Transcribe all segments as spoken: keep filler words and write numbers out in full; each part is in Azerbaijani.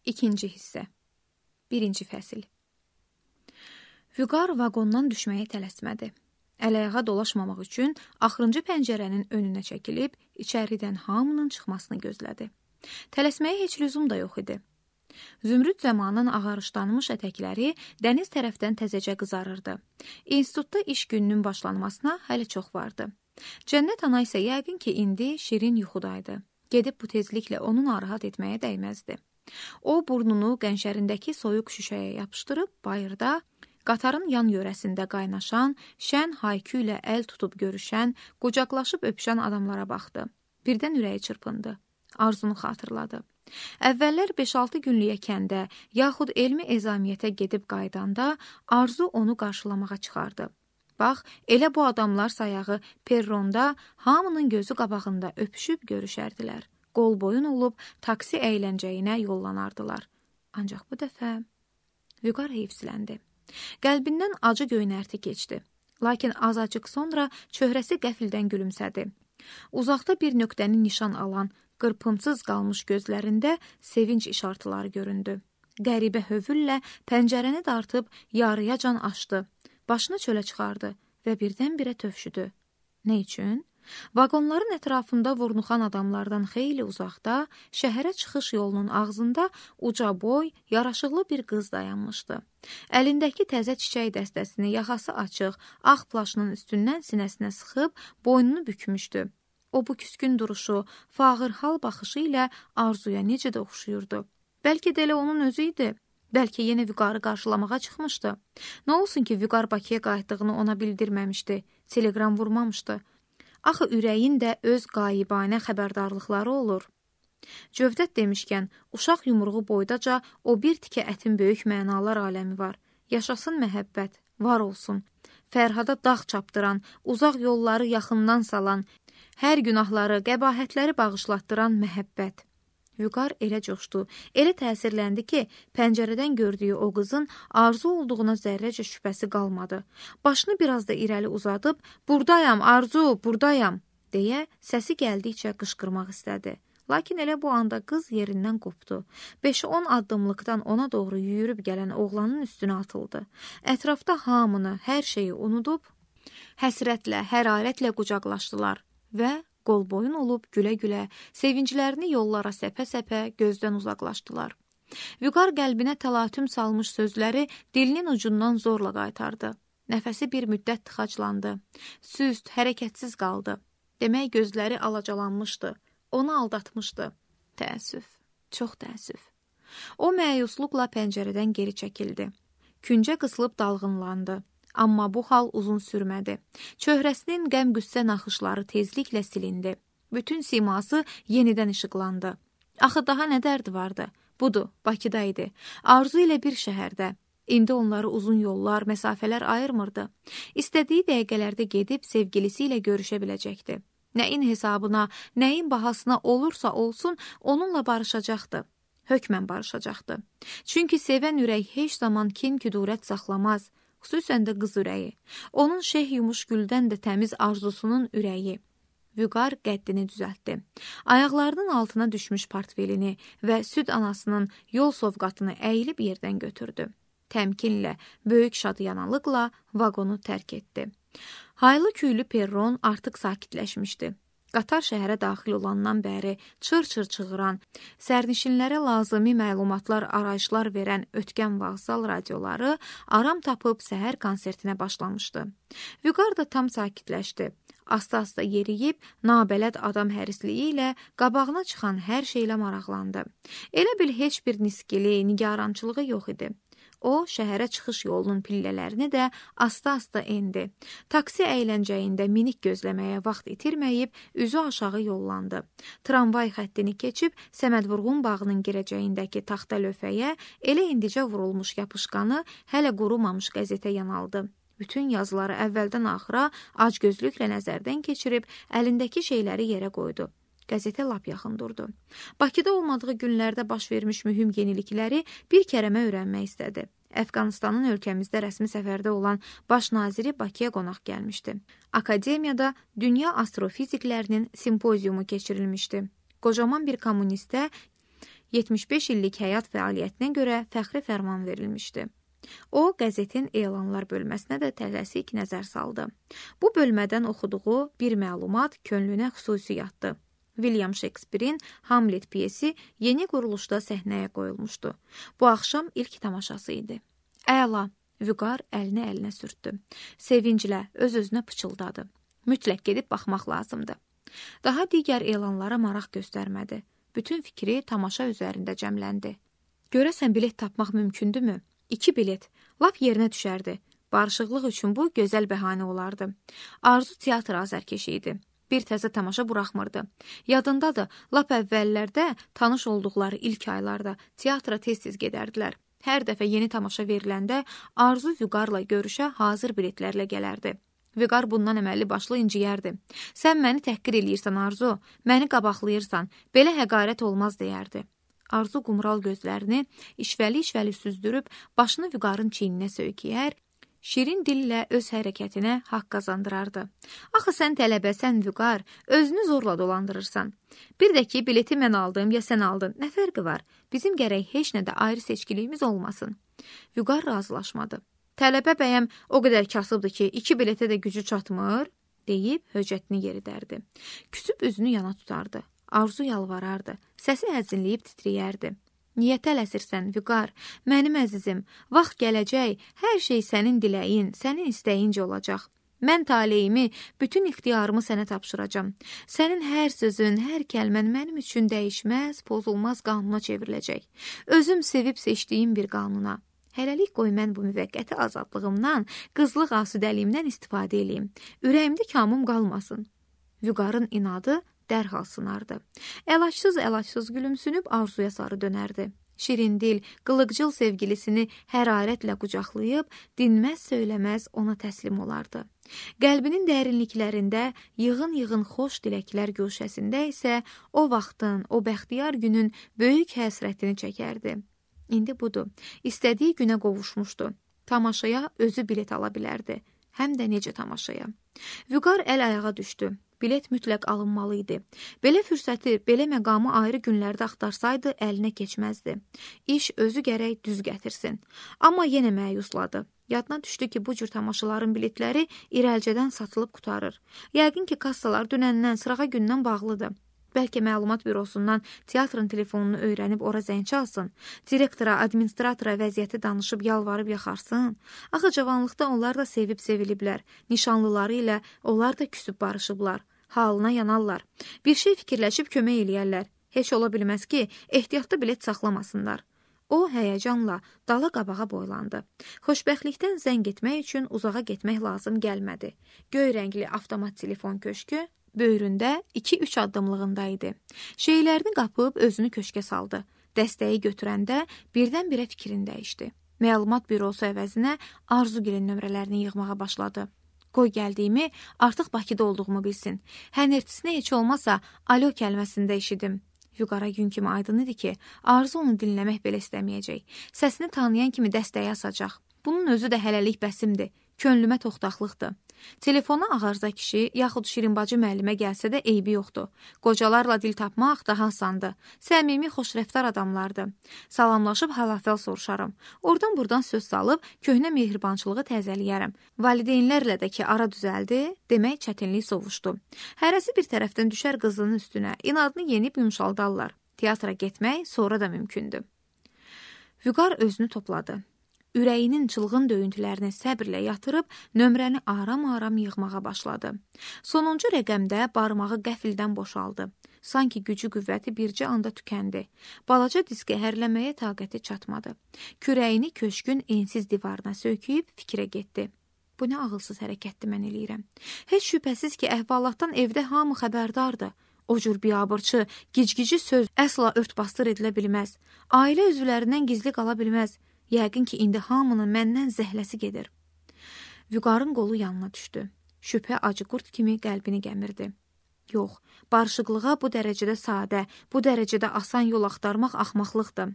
İkinci hissə. Birinci fəsil. Vüqar vaqondan düşməyə tələsmədi. Əl-ayağa dolaşmamaq üçün axırıncı pəncərənin önünə çəkilib, içəridən hamının çıxmasını gözlədi. Tələsməyə heç lüzum da yox idi. Zümrüd zamanın ağarışlanmış ətəkləri dəniz tərəfdən təzəcə qızarırdı. İnstitutda iş gününün başlanmasına hələ çox vardı. Cənnət ana isə yəqin ki, indi şirin yuxudaydı. Gedib bu tezliklə onu narahat etməyə dəyməzdi. O, burnunu qənşərindəki soyuq şüşəyə yapışdırıb, bayırda, qatarın yan yörəsində qaynaşan, şən haykü ilə əl tutub görüşən, qucaqlaşıb öpüşən adamlara baxdı. Birdən ürəyi çırpındı. Arzunu xatırladı. Əvvəllər beş-altı günlük kəndə, yaxud elmi ezamiyyətə gedib qaydanda Arzu onu qarşılamağa çıxardı. Bax, elə bu adamlar sayağı perronda hamının gözü qabağında öpüşüb görüşərdilər. Qol boyun olub taksi əyləncəyinə yollanardılar. Ancaq bu dəfə Vüqar heyfsiləndi. Qəlbindən acı göynərti keçdi. Lakin azacıq sonra çöhrəsi qəfildən gülümsədi. Uzaqda bir nöqtəni nişan alan, qırpımsız qalmış gözlərində sevinç işartıları göründü. Qəribə hövüllə pəncərəni dartıb yarıyacan açdı. Başını çölə çıxardı və birdən-birə tövşüdü. Nə üçün? Vaqonların ətrafında vurnuxan adamlardan xeyli uzaqda, şəhərə çıxış yolunun ağzında uca boy, yaraşıqlı bir qız dayanmışdı. Əlindəki təzə çiçək dəstəsini yaxası açıq, ağ plaşının üstündən sinəsinə sıxıb, boynunu bükmüşdü. O, bu küskün duruşu, fağır hal baxışı ilə Arzuya necə də oxşuyurdu. Bəlkə də elə onun özü idi. Bəlkə yenə Vüqarı qarşılamağa çıxmışdı. Nə olsun ki, Vüqar Bakıya qayıtdığını ona bildirməmişdi, telegram vurmamışdı. Axı ürəyin də öz qayıbanə xəbərdarlıqları olur. Cövdət demişkən, uşaq yumruğu boydaca o bir tikə ətin böyük mənalar aləmi var. Yaşasın məhəbbət, var olsun. Fərhada dağ çapdıran, uzaq yolları yaxından salan, hər günahları, qəbahətləri bağışlatdıran məhəbbət. Vüqar elə coşdu, elə təsirləndi ki, pəncərədən gördüyü o qızın Arzu olduğuna zərrəcə şübhəsi qalmadı. Başını biraz da irəli uzadıb, "Buradayam, Arzu, buradayam," deyə səsi gəldikcə qışqırmaq istədi. Lakin elə bu anda qız yerindən qopdu. beş-on addımlıqdan ona doğru yüyürüb gələn oğlanın üstünə atıldı. Ətrafda hamını, hər şeyi unudub, həsrətlə, hərarətlə qucaqlaşdılar və qol boyun olub gülə-gülə, sevinclərini yollara səpə-səpə gözdən uzaqlaşdılar. Vüqar qəlbinə təlatüm salmış sözləri dilinin ucundan zorla qaytardı. Nəfəsi bir müddət tıxaclandı. Süst, hərəkətsiz qaldı. Demək gözləri alacalanmışdı. Onu aldatmışdı. Təəssüf, çox təəssüf. O məyusluqla pəncərədən geri çəkildi. Küncə qısılıb dalğınlandı. Amma bu hal uzun sürmədi. Çöhrəsinin qəm-qüssə naxışları tezliklə silindi. Bütün siması yenidən işıqlandı. Axı daha nə dərdi vardı? Budur, Bakıda idi. Arzu ilə bir şəhərdə. İndi onları uzun yollar, məsafələr ayırmırdı. İstədiyi dəqiqələrdə gedib sevgilisi ilə görüşə biləcəkdi. Nəyin hesabına, nəyin bahasına olursa olsun, onunla barışacaqdı. Hökmən barışacaqdı. Çünki sevən ürək heç zaman kin-küdurət saxlamaz. Xüsusən də qız ürəyi. Onun şeh yumuş güldən də təmiz arzusunun ürəyi. Vüqar qəddini düzəltdi. Ayaqlarının altına düşmüş portfelini və süd anasının yol sovqatını əyilib yerdən götürdü. Təmkinlə, böyük şadyanılıqla vaqonu tərk etdi. Haylı küylü perron artıq sakitləşmişdi. Qatar şəhərə daxil olandan bəri çır-çır çığıran, sərnişinlərə lazımi məlumatlar, arayışlar verən ötkən vağzal radioları aram tapıb səhər konsertinə başlamışdı. Vüqar da tam sakitləşdi. Asta-asta yeriyib, nabələd adam hərisliyi ilə qabağına çıxan hər şeylə maraqlandı. Elə bil heç bir niskili, nigarançılığı yox idi. O, şəhərə çıxış yolunun pillələrini də asta-asta endi. Taksi əyləncəyində minik gözləməyə vaxt itirməyib, üzü aşağı yollandı. Tramvay xəttini keçib, Səmədvurğun bağının girəcəyindəki taxta lövhəyə elə indicə vurulmuş yapışqanı, hələ qurumamış qəzetə yanaldı. Bütün yazıları əvvəldən axıra acgözlüklə nəzərdən keçirib, əlindəki şeyləri yerə qoydu. Qəzetə lap yaxın durdu. Bakıda olmadığı günlərdə baş vermiş mühüm yenilikləri bir kərəmə öyrənmək istədi. Əfqanistanın ölkəmizdə rəsmi səfərdə olan baş naziri Bakıya qonaq gəlmişdi. Akademiyada dünya astrofiziklərinin simpoziumu keçirilmişdi. Qocaman bir kommunistə yetmiş beş illik həyat fəaliyyətinə görə fəxri fərman verilmişdi. O, qəzetin elanlar bölməsinə də tələsik nəzər saldı. Bu bölmədən oxuduğu bir məlumat könlünə xüsusi yatdı. William Shakespeare'in Hamlet piyesi yeni quruluşda səhnəyə qoyulmuşdu. Bu axşam ilk tamaşası idi. Əla, Vüqar əlini əlinə sürtdü. Sevinclə öz-özünə pıçıldadı. Mütləq gedib baxmaq lazımdı. Daha digər elanlara maraq göstərmədi. Bütün fikri tamaşa üzərində cəmləndi. Görəsən bilet tapmaq mümkündürmü? İki bilet. Lap yerinə düşərdi. Barışıqlıq üçün bu gözəl bəhanə olardı. Arzu teatr azərkeşi idi. Bir təzə tamaşa buraxmırdı. Yadındadır, lap əvvəllərdə tanış olduqları ilk aylarda teatra tez-tez gedərdilər. Hər dəfə yeni tamaşa veriləndə Arzu Vüqarla görüşə hazır biletlərlə gələrdi. Vüqar bundan əməlli başlı inciyərdi. Sən məni təhqir eləyirsən Arzu, məni qabaqlayırsan, belə həqarət olmaz deyərdi. Arzu qumral gözlərini işvəli-işvəli süzdürüb başını Vüqarın çiyninə söykəyər, şirin dillə öz hərəkətinə haqq qazandırardı. Axı sən tələbəsən Vüqar, özünü zorla dolandırırsan. Bir də ki, bileti mən aldım ya sən aldın, nə fərqi var? Bizim gərək heç nədə ayrı seçkiliyimiz olmasın. Vüqar razılaşmadı. Tələbə bəyəm o qədər kasıbdır ki, iki biletə də gücü çatmır, deyib höcətini yeridərdi. Küsüb üzünü yana tutardı. Arzu yalvarardı. Səsi əzinləyib titriyərdi. Niyə tələsirsən, Vüqar? Mənim əzizim, vaxt gələcək, hər şey sənin diləyin, sənin istəyincə olacaq. Mən taleyimi, bütün ixtiyarımı sənə tapşıracam. Sənin hər sözün, hər kəlmən mənim üçün dəyişməz, pozulmaz qanuna çevriləcək. Özüm sevib seçdiyim bir qanuna. Hələlik qoy mən bu müvəqqəti azadlığımdan, qızlıq asüdəliyimdən istifadə eləyim. Ürəyimdə kamım qalmasın. Vüqarın inadı dərhal sınardı. Əlacsız-əlacsız gülümsünüb Arzuya sarı dönərdi. Şirindil, qılıqcıl sevgilisini hərarətlə qucaqlayıb, dinməz söyləməz ona təslim olardı. Qəlbinin dərinliklərində yığın-yığın xoş diləklər güşəsində isə o vaxtın, o bəxtiyar günün böyük həsrətini çəkərdi. İndi budur, istədiyi günə qovuşmuşdu. Tamaşaya özü bilet ala bilərdi. Həm də necə tamaşaya. Vüqar əl-ayağa düşdü. Bilet mütləq alınmalı idi. Belə fürsəti, belə məqamı ayrı günlərdə axtarsaydı, əlinə keçməzdi. İş özü gərək düz gətirsin. Amma yenə məyusladı. Yadına düşdü ki, bu cür tamaşaların biletləri irəlcədən satılıb qutarır. Yəqin ki, kassalar dünəndən, sırağa gündən bağlıdır. Bəlkə məlumat bürosundan teatrın telefonunu öyrənib ora zəng çalsın, direktora, administratora vəziyyəti danışıb yalvarıb yaxarsın. Axı cavanlıqda onlar da sevib seviliblər, nişanlıları ilə onlar da küsüb barışıblar, halına yanarlar. Bir şey fikirləşib kömək eləyərlər. Heç ola bilməz ki, ehtiyatda bilet saxlamasınlar. O həyəcanla dala qabağa boylandı. Xoşbəxtlikdən zəng etmək üçün uzağa getmək lazım gəlmədi. Göy rəngli avtomat telefon köşkü böyründə iki-üç addımlığında idi. Şeylərini qapıb özünü köşkə saldı. Dəstəyi götürəndə birdən-birə fikrini dəyişdi. Məlumat bürosu əvəzinə Arzugilin nömrələrini yığmağa başladı. Qoy gəldiyimi, artıq Bakıda olduğumu bilsin. Hənirtisinə heç olmasa alo kəlməsində eşidim. Vüqara gün kimi aydın idi ki, Arzu onu dinləmək belə istəməyəcək. Səsini tanıyan kimi dəstəyi asacaq. Bunun özü də hələlik bəsimdir. Könlümə toxtaqlıqdır. Telefona Ağarza kişi, yaxud Şirinbacı müəllimə gəlsə də eybi yoxdur. Qocalarla dil tapmaq daha asandır. Səmimi, xoşrəftar adamlardır. Salamlaşıb hal-əhval soruşarım. Oradan buradan söz salıb, köhnə mehribançılığı təzəliyərəm. Valideynlərlə də ki, ara düzəldi, demək çətinlik sovuşdu. Hərəsi bir tərəfdən düşər qızının üstünə, inadını yenib yumşaldarlar. Teatra getmək sonra da mümkündür. Vüqar özünü topladı. Ürəyinin çılğın döyüntülərini səbrlə yatırıb, nömrəni aram-aram yığmağa başladı. Sonuncu rəqəmdə barmağı qəfildən boşaldı. Sanki gücü qüvvəti bircə anda tükəndi. Balaca diski hərləməyə taqəti çatmadı. Kürəyini köşkün ensiz divarına söyküyüb fikrə getdi. Bu nə ağılsız hərəkətdir mən eləyirəm. Heç şübhəsiz ki, əhvalatdan evdə hamı xəbərdardır. O cür biabırçı, gicgici söz əsla ört-bastır edilə bilməz. Ailə üzvlərindən gizli qala bilməz. Yəqin ki, indi hamının məndən zəhləsi gedir. Vüqarın qolu yanına düşdü. Şübhə acı qurd kimi qəlbini gəmirdi. Yox, barışıqlığa bu dərəcədə sadə, bu dərəcədə asan yol axtarmaq axmaqlıqdır.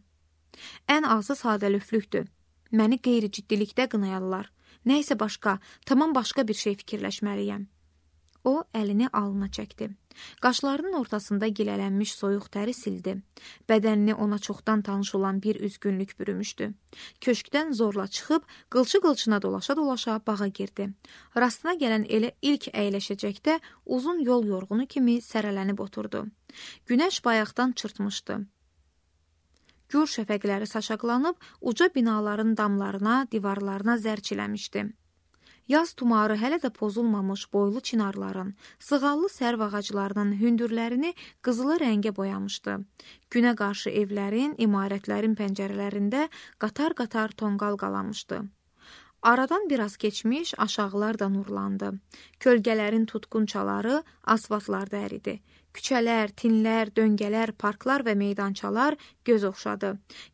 Ən azı sadəlöflükdür. Məni qeyri-ciddilikdə qınayarlar. Nə isə başqa, tamam başqa bir şey fikirləşməliyəm. O əlini alnına çəkdi. Qaşlarının ortasında gilələnmiş soyuq təri sildi. Bədənini ona çoxdan tanış olan bir üzgünlük bürümüşdü. Köşkdən zorla çıxıb, qılçı-qılçına dolaşa-dolaşa bağa girdi. Rastına gələn elə ilk əyləşəcəkdə uzun yol yorğunu kimi sərələnib oturdu. Günəş bayaqdan çırpmışdı. Gür şəfəqləri saçaqlanıb, uca binaların damlarına, divarlarına zərçiləmişdi. Yaz tumarı hələ də pozulmamış boylu çinarların, sığallı sərv ağaclarının hündürlərini qızılı rəngə boyamışdı. Günə qarşı evlərin, imarətlərin pəncərələrində qatar-qatar tonqal qalamışdı. Aradan biraz keçmiş, aşağılar da nurlandı. Kölgələrin tutqun çaları asfaltlarda əridi. Küçələr, tinlər, döngələr, parklar və meydançalar göz oxşadı.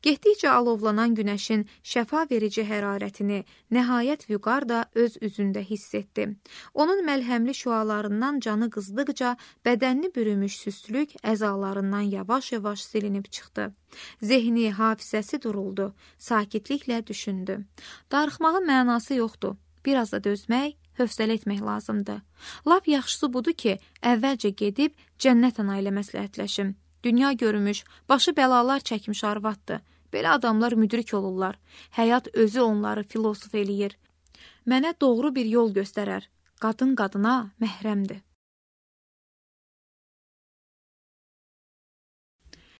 Getdikcə alovlanan günəşin şəfa verici hərarətini nəhayət Vüqar da öz üzündə hiss etdi. Onun məlhəmli şüalarından canı qızdıqca bədənini bürümüş süslük əzalarından yavaş-yavaş silinib çıxdı. Zehni, hafizəsi duruldu. Sakitliklə düşündü. Darıxmağın mənası yoxdur. Biraz da dözmək, hövsələ etmək lazımdır. Lap yaxşısı budur ki, əvvəlcə gedib cənnət ana ilə məsləhətləşim. Dünya görmüş, başı bəlalar çəkmiş arvaddır. Belə adamlar müdrik olurlar. Həyat özü onları filosof eləyir. Mənə doğru bir yol göstərər. Qadın qadına məhrəmdir.